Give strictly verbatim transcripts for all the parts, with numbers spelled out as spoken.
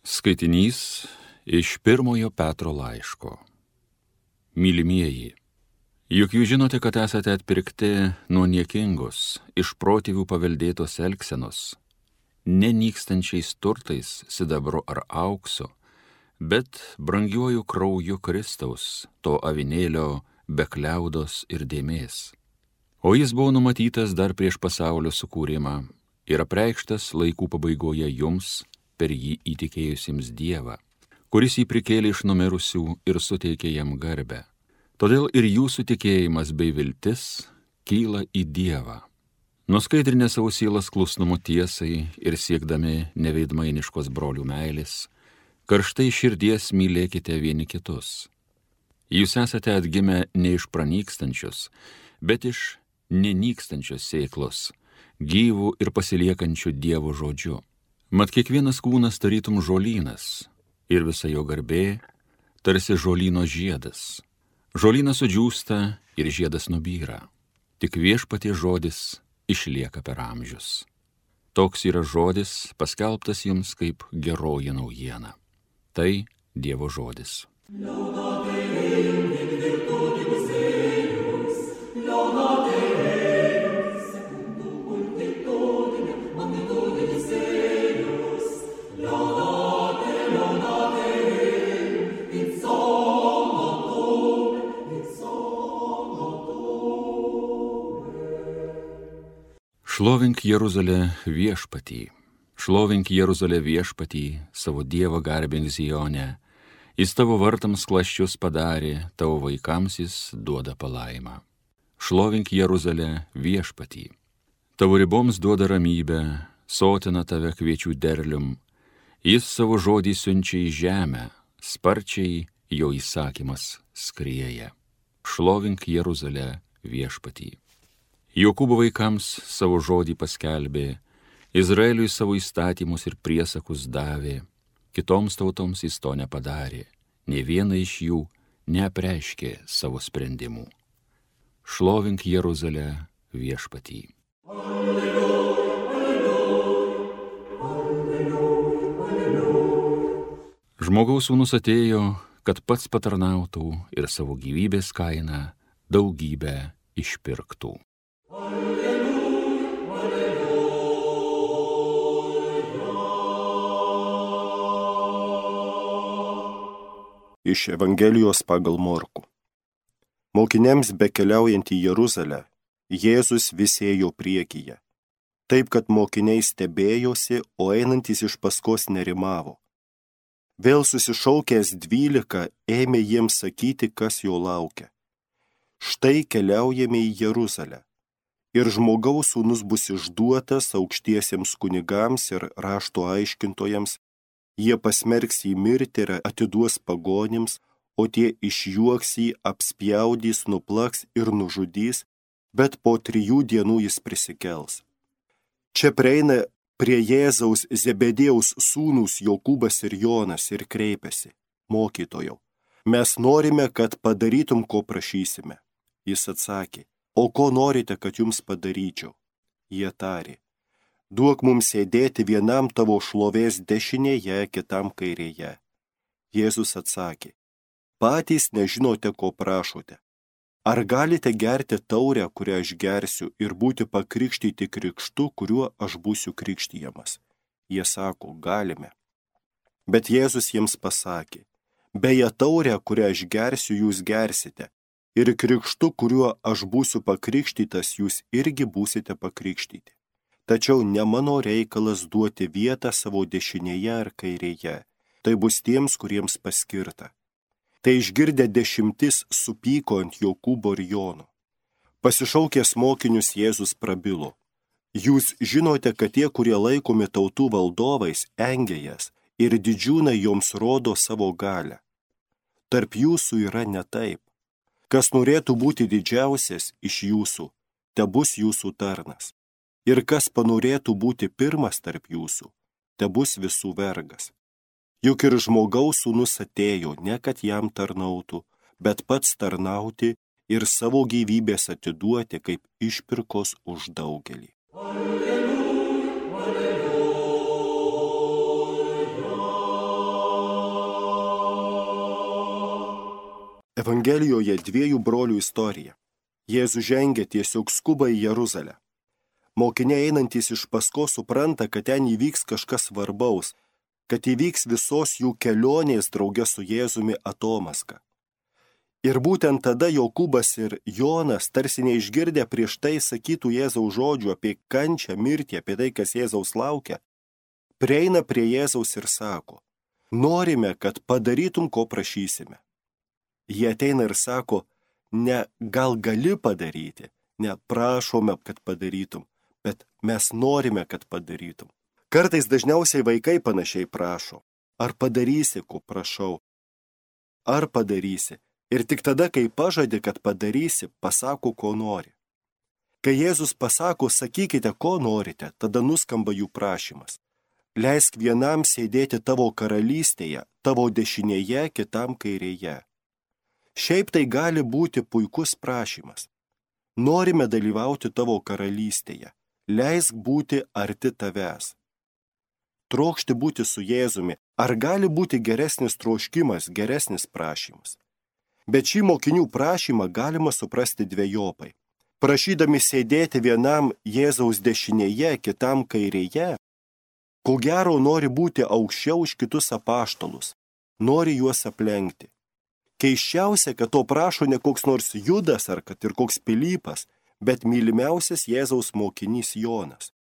Skaitinys iš pirmojo Petro laiško. Mylimieji, juk jūs žinote, kad esate atpirkti nuo niekingos, iš protėvių paveldėtos elgsenos, nenykstančiais turtais, sidabru ar auksu, bet brangiuoju krauju Kristaus, to avinėlio be kliaudos ir dėmės. O jis buvo numatytas dar prieš pasaulio sukūrimą ir apreikštas laikų pabaigoje jums, per jį įtikėjusiems Dievą, kuris jį prikėlė iš numirusių ir suteikė jam garbę. Todėl ir jūsų tikėjimas bei viltis kyla į Dievą. Nuskaidrinę savo sielas klusnumu tiesai ir siekdami neveidmainiškos brolių meilės, karštai širdies mylėkite vieni kitus. Jūs esate atgimę ne iš pranykstančios, bet iš nenykstančios sėklos, gyvų ir pasiliekančių Dievo žodžiu. Mat kiekvienas kūnas tarytum žolynas, ir visa jo garbė tarsi žolyno žiedas. Žolynas sudžiūsta ir žiedas nubyra, tik viešpaties žodis išlieka per amžius. Toks yra žodis paskelbtas jums kaip geroji naujiena. Tai Dievo žodis. Šlovink Jeruzalę viešpatį, šlovink Jeruzalę viešpatį, savo Dievą garbink Zione, jis tavo vartams klasčius padarė, tavo vaikams jis duoda palaimą. Šlovink Jeruzalę viešpatį, tavo riboms duoda ramybę, sotina tave kviečių derlium, jis savo žodį siunčia į žemę, sparčiai jo įsakymas skrieja. Šlovink Jeruzalę viešpatį. Jokūbo vaikams savo žodį paskelbė, Izraeliui savo įstatymus ir priesakus davė, kitoms tautoms jis to nepadarė, nė viena iš jų neapreiškė savo sprendimų. Šlovink Jeruzalę viešpatį. Alleluja, alleluja, alleluja, alleluja. Žmogaus sūnus atėjo, kad pats patarnautų ir savo gyvybės kainą daugybę išpirktų. Iš Evangelijos pagal Morkų. Mokiniams bekeliaujant į Jeruzalę, Jėzus vis ėjo priekyje, taip kad mokiniai stebėjosi, o einantys iš paskos nerimavo. Vėl susišaukęs dvylika ėmė jiems sakyti, kas jo laukia. Štai keliaujame į Jeruzalę, ir žmogaus sūnus bus išduotas aukštiesiems kunigams ir rašto aiškintojams, jie pasmerks jį mirti ir atiduos pagonims, o tie išjuoks jį, apspjaudys, nuplaks ir nužudys, bet po trijų dienų jis prisikels. Čia prieina prie Jėzaus Zebedėjaus sūnūs Jokūbas ir Jonas ir kreipiasi: Mokytojau, mes norime, kad padarytum, ko prašysime. Jis atsakė: o ko norite, kad jums padaryčiau? Jie tarė: duok mums sėdėti vienam tavo šlovės dešinėje, kitam kairėje. Jėzus atsakė: patys nežinote, ko prašote. Ar galite gerti taurę, kurią aš gersiu, ir būti pakrikštyti krikštu, kuriuo aš būsiu krikštijamas? Jie sako: galime. Bet Jėzus jiems pasakė: beje, taurę, kurią aš gersiu, jūs gersite, ir krikštu, kuriuo aš būsiu pakrikštytas, jūs irgi būsite pakrikštyti. Tačiau ne mano reikalas duoti vietą savo dešinėje ar kairėje, tai bus tiems, kuriems paskirta. Tai išgirdę dešimtis supyko ant Jokūbo ir Jono. Pasišaukęs mokinius Jėzus prabilo: jūs žinote, kad tie, kurie laikomi tautų valdovais, engia jas ir didžiūnai joms rodo savo galią. Tarp jūsų yra ne taip. Kas norėtų būti didžiausias iš jūsų, tebus jūsų tarnas. Ir kas panorėtų būti pirmas tarp jūsų, tebus visų vergas. Juk ir žmogaus sūnus atėjo, ne kad jam tarnautų, bet pats tarnauti ir savo gyvybės atiduoti kaip išpirkos už daugelį. Alleluja, alleluja. Evangelijoje dviejų brolių istorija. Jėzus žengia tiesiog skuba į Jeruzalę. Mokiniai einantys iš paskos supranta, kad ten įvyks kažkas svarbaus, kad įvyks visos jų kelionės drauge su Jėzumi atomaska. Ir būtent tada Jokūbas ir Jonas, tarsi neišgirdę prieš tai sakytų Jėzaus žodžių apie kančią, mirtį, apie tai, kas Jėzaus laukia, prieina prie Jėzaus ir sako, norime, kad padarytum, ko prašysime. Jie ateina ir sako, ne gal gali padaryti, ne prašome, kad padarytum, bet mes norime, kad padarytum. Kartais dažniausiai vaikai panašiai prašo, ar padarysi, ko prašau, ar padarysi. Ir tik tada, kai pažadi, kad padarysi, pasako, ko nori. Kai Jėzus pasako, sakykite, ko norite, tada nuskamba jų prašymas. Leisk vienam sėdėti tavo karalystėje, tavo dešinėje, kitam kairėje. Šiaip tai gali būti puikus prašymas. Norime dalyvauti tavo karalystėje. Leisk būti arti tavęs. Trokšti būti su Jėzumi. Ar gali būti geresnis troškimas, geresnis prašymas? Bet šį mokinių prašymą galima suprasti dvejopai. Prašydami sėdėti vienam Jėzaus dešinėje, kitam kairėje, ko gero nori būti aukščiau už kitus apaštalus, nori juos aplenkti. Keisčiausia, kad to prašo ne koks nors Judas ar kad ir koks Pilypas, bet mylimiausias Jėzaus mokinys Jonas.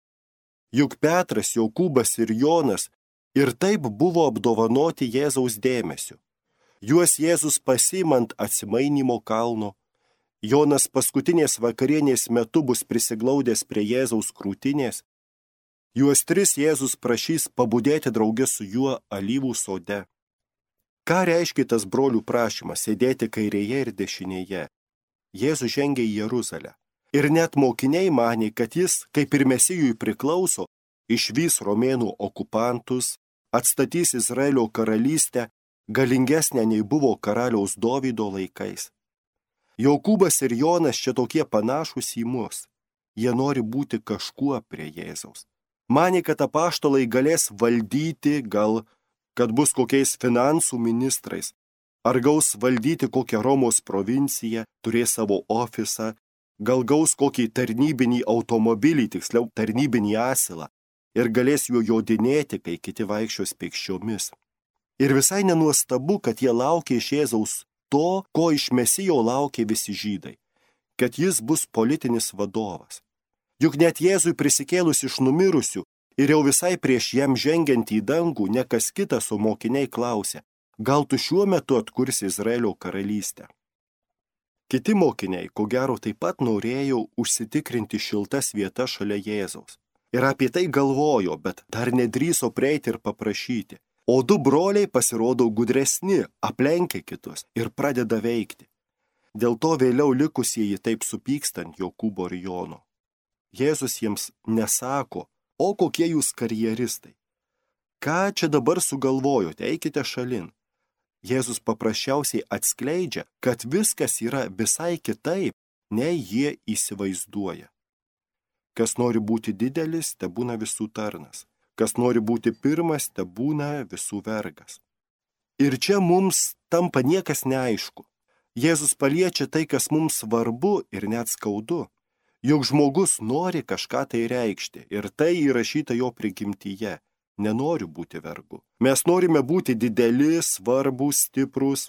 Juk Petras, Jokūbas ir Jonas ir taip buvo apdovanoti Jėzaus dėmesiu. Juos Jėzus pasiimant atsimainymo kalno, Jonas paskutinės vakarienės metu bus prisiglaudęs prie Jėzaus krūtinės, juos tris Jėzus prašys pabudėti drauge su juo alyvų sode. Ką reiškia tas brolių prašymas sėdėti kairėje ir dešinėje? Jėzus žengia į Jeruzalę. Ir net mokiniai manė, kad jis, kaip ir Mesijui priklauso, išvys romėnų okupantus, atstatys Izraelio karalystę, galingesnė nei buvo karaliaus Dovydo laikais. Jokūbas ir Jonas čia tokie panašūs į mus. Jie nori būti kažkuo prie Jėzaus. Manė, kad apaštalai galės valdyti, gal, kad bus kokiais finansų ministrais, ar gaus valdyti kokią Romos provinciją, turės savo ofisą, gal gaus kokį tarnybinį automobilį, tiksliau tarnybinį asilą, ir galės juo jodinėti, kai kiti vaikščios pėsčiomis. Ir visai nenuostabu, kad jie laukia iš Jėzaus to, ko iš Mesijo laukia visi žydai, kad jis bus politinis vadovas. Juk net Jėzui prisikėlus iš numirusių ir jau visai prieš jam žengiant į dangų, ne kas kitas, o mokiniai klausė, gal tu šiuo metu atkursi Izraelio karalystę? Kiti mokiniai, ko gero, taip pat norėjo užsitikrinti šiltas vietas šalia Jėzaus. Ir apie tai galvojo, bet dar nedrįso prieiti ir paprašyti. O du broliai pasirodo gudresni, aplenkia kitus ir pradeda veikti. Dėl to vėliau likusieji taip supykstant Jokūbo ir Jono. Jėzus jiems nesako, o kokie jūs karjeristai. Ką čia dabar sugalvojote, eikite šalin. Jėzus paprasčiausiai atskleidžia, kad viskas yra visai kitaip, nei jie įsivaizduoja. Kas nori būti didelis, te būna visų tarnas. Kas nori būti pirmas, te būna visų vergas. Ir čia mums tampa niekas neaišku. Jėzus paliečia tai, kas mums svarbu ir net skaudu. Juk žmogus nori kažką tai reikšti ir tai įrašyta jo prigimtyje. Nenoriu būti vergu. Mes norime būti dideli, svarbus, stiprus.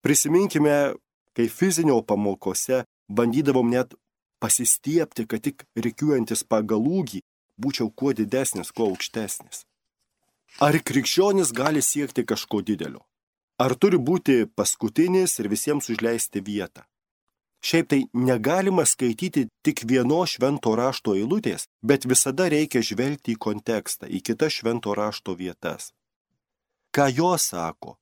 Prisiminkime, kai fizinio pamokose bandydavom net pasistiepti, kad tik rikiuojantis pagal ūgį būčiau kuo didesnis, kuo aukštesnis. Ar krikščionis gali siekti kažko didelio? Ar turi būti paskutinis ir visiems užleisti vietą? Šiaip tai negalima skaityti tik vieno švento rašto eilutės, bet visada reikia žvelgti į kontekstą, į kitas švento rašto vietas. Ką jos sako?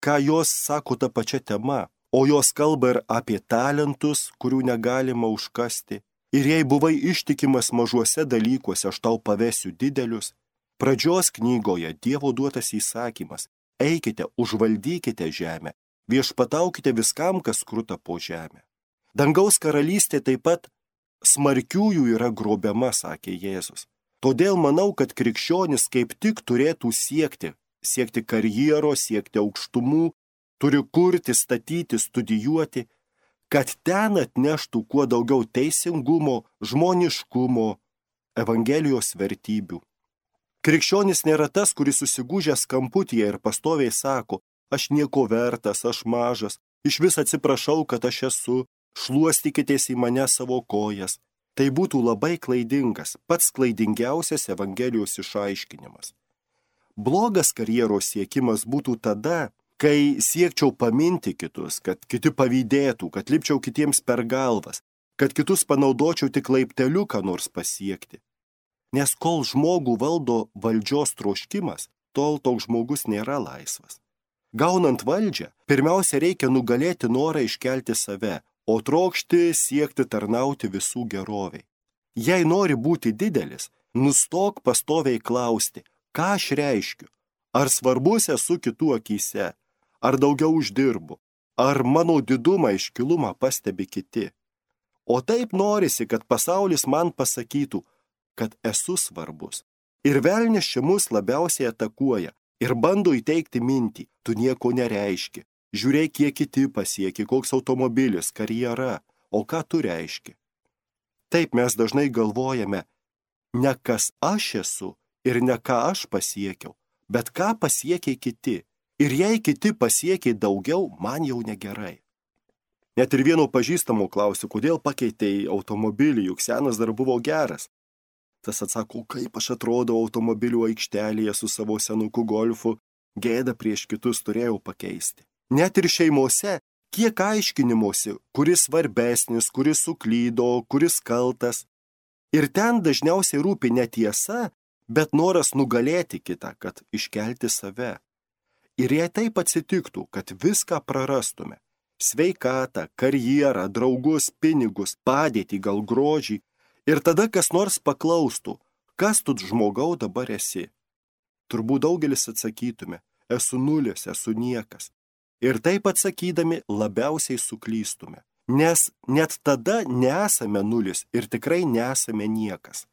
Ką jos sako ta pačia tema? O jos kalba ir apie talentus, kurių negalima užkasti. Ir jei buvai ištikimas mažuose dalykuose, aš tau pavesiu didelius. Pradžios knygoje Dievo duotas įsakymas. Eikite, užvaldykite žemę, viešpataukite viskam, kas kruta po žemę. Dangaus karalystė taip pat smarkiųjų yra grobiama, sakė Jėzus. Todėl manau, kad krikščionis kaip tik turėtų siekti, siekti karjeros, siekti aukštumų, turi kurti, statyti, studijuoti, kad ten atneštų kuo daugiau teisingumo, žmoniškumo, Evangelijos vertybių. Krikščionis nėra tas, kuris susigūžęs kamputyje ir pastoviai sako, aš nieko vertas, aš mažas, iš vis atsiprašau, kad aš esu, šluostykitės į mane savo kojas. Tai būtų labai klaidingas, pats klaidingiausias Evangelijos išaiškinimas. Blogas karjeros siekimas būtų tada, kai siekčiau paminti kitus, kad kiti pavydėtų, kad lipčiau kitiems per galvas, kad kitus panaudočiau tik laipteliu, ką nors pasiekti. Nes kol žmogų valdo valdžios troškimas, tol toks žmogus nėra laisvas. Gaunant valdžią, pirmiausia reikia nugalėti norą iškelti save, o trokšti siekti tarnauti visų geroviai. Jei nori būti didelis, nustok pastoviai klausti, ką aš reiškiu, ar svarbus esu kitų akyse, ar daugiau uždirbu, ar mano didumą iškilumą pastebi kiti. O taip norisi, kad pasaulis man pasakytų, kad esu svarbus. Ir velnias čia mus labiausiai atakuoja ir bando įteikti mintį, tu nieko nereiški. Žiūrėk, kiek kiti pasiekė, koks automobilis, karjera, o ką tu reiški. Taip mes dažnai galvojame, ne kas aš esu ir ne ką aš pasiekiau, bet ką pasiekė kiti. Ir jei kiti pasiekė daugiau, man jau negerai. Net ir vieno pažįstamo klausiu, kodėl pakeitei automobilį, juk senas dar buvo geras. Tas atsako, kaip aš atrodau automobilių aikštelėje su savo senuku golfu, gėdą prieš kitus turėjau pakeisti. Net ir šeimose, kiek aiškinimuose, kuris svarbesnis, kuris suklydo, kuris kaltas. Ir ten dažniausiai rūpi ne tiesa, bet noras nugalėti kitą, kad iškelti save. Ir jei taip atsitiktų, kad viską prarastume, sveikatą, karjerą, draugus, pinigus, padėtį, gal grožį, ir tada kas nors paklaustų, kas tu žmogau dabar esi. Turbūt daugelis atsakytume, esu nulis, esu niekas. Ir taip atsakydami labiausiai suklystume, nes net tada nesame nulis ir tikrai nesame niekas.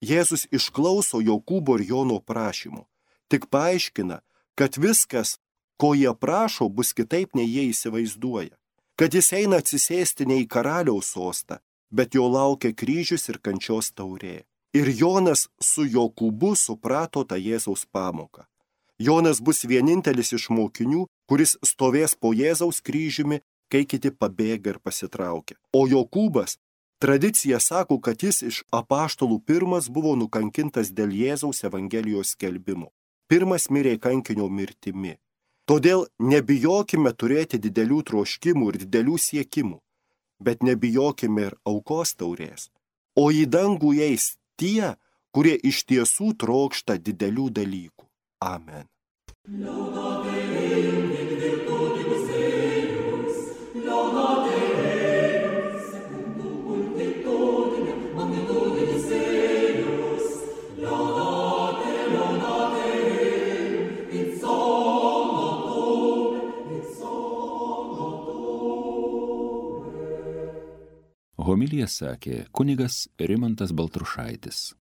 Jėzus išklauso Jokūbo ir Jono prašymų, tik paaiškina, kad viskas, ko jie prašo, bus kitaip nei jie įsivaizduoja, kad jis eina atsisėsti ne į karaliaus sostą, bet jo laukia kryžius ir kančios taurė. Ir Jonas su Jokūbu suprato tą Jėzaus pamoką. Jonas bus vienintelis iš mokinių, kuris stovės po Jėzaus kryžiumi, kai kiti pabėga ir pasitraukia. O Jokūbas, tradicija sako, kad jis iš apaštalų pirmas buvo nukankintas dėl Jėzaus Evangelijos skelbimo. Pirmas mirė kankinio mirtimi. Todėl nebijokime turėti didelių troškimų ir didelių siekimų, bet nebijokime ir aukos taurės. O į dangų eis tie, kurie iš tiesų trokšta didelių dalykų. Amen. Homiliją sakė kunigas Rimantas Baltrušaitis.